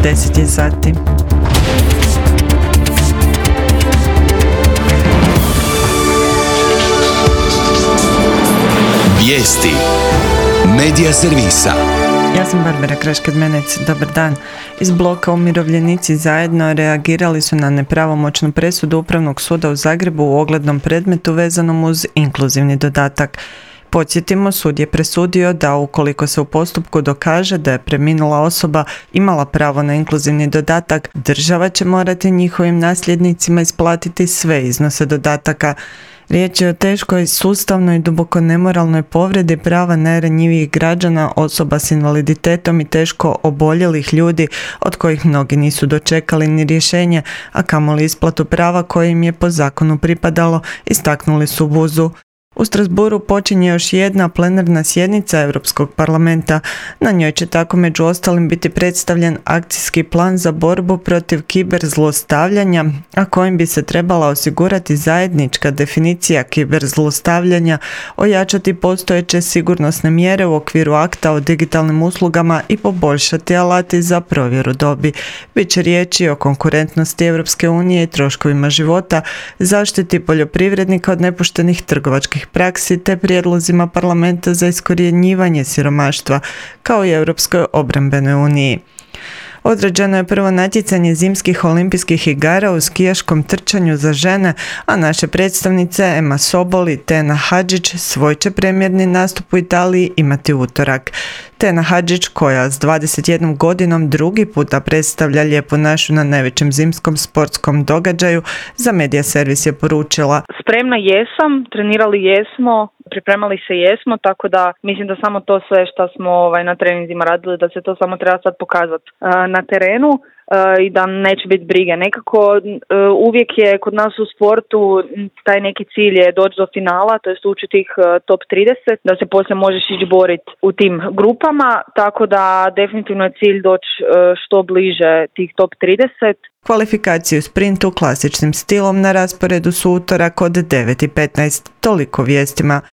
10 je sati. Vijesti Medija servisa. Ja sam Barbara Kraškad-Menec, dobar dan. Iz bloka Umirovljenici zajedno reagirali su na nepravomoćnu presudu Upravnog suda u Zagrebu u oglednom predmetu vezanom uz inkluzivni dodatak. Podsjetimo, sud je presudio da ukoliko se u postupku dokaže da je preminula osoba imala pravo na inkluzivni dodatak, država će morati njihovim nasljednicima isplatiti sve iznose dodataka. Riječ je o teškoj, sustavnoj i duboko nemoralnoj povredi prava najranjivijih građana, osoba s invaliditetom i teško oboljelih ljudi od kojih mnogi nisu dočekali ni rješenje, a kamoli isplatu prava koje im je po zakonu pripadalo, istaknuli su u BUZ-u. U Strasbourgu počinje još jedna plenarna sjednica Europskog parlamenta. Na njoj će tako među ostalim biti predstavljen akcijski plan za borbu protiv kiberzlostavljanja, a kojim bi se trebala osigurati zajednička definicija kiberzlostavljanja, ojačati postojeće sigurnosne mjere u okviru akta o digitalnim uslugama i poboljšati alati za provjeru dobi. Biće riječi o konkurentnosti Europske unije i troškovima života, zaštiti poljoprivrednika od nepoštenih trgovačkih praksi te prijedlozima parlamenta za iskorjenjivanje siromaštva, kao i Europskoj obrambenoj uniji. Određeno je prvo natjecanje zimskih olimpijskih igara u skijaškom trčanju za žene, a naše predstavnice Ema Sobol i Tena Hadžić svoj će premijerni nastup u Italiji imati utorak. Tena Hadžić, koja s 21 godinom drugi puta predstavlja Lijepu našu na najvećem zimskom sportskom događaju, za Medija servis je poručila: Spremna jesam, trenirali jesmo, pripremali se jesmo, tako da mislim da samo to sve što smo na treninzima radili, da se to samo treba sad pokazati na terenu i da neće biti brige. Nekako uvijek je kod nas u sportu taj neki cilj je doći do finala, to jest ući tih top 30, da se poslije možeš ići boriti u tim grupama, tako da definitivno je cilj doći što bliže tih top 30. Kvalifikaciju sprintu klasičnim stilom na rasporedu su utorak od 9:15. Toliko vijestima.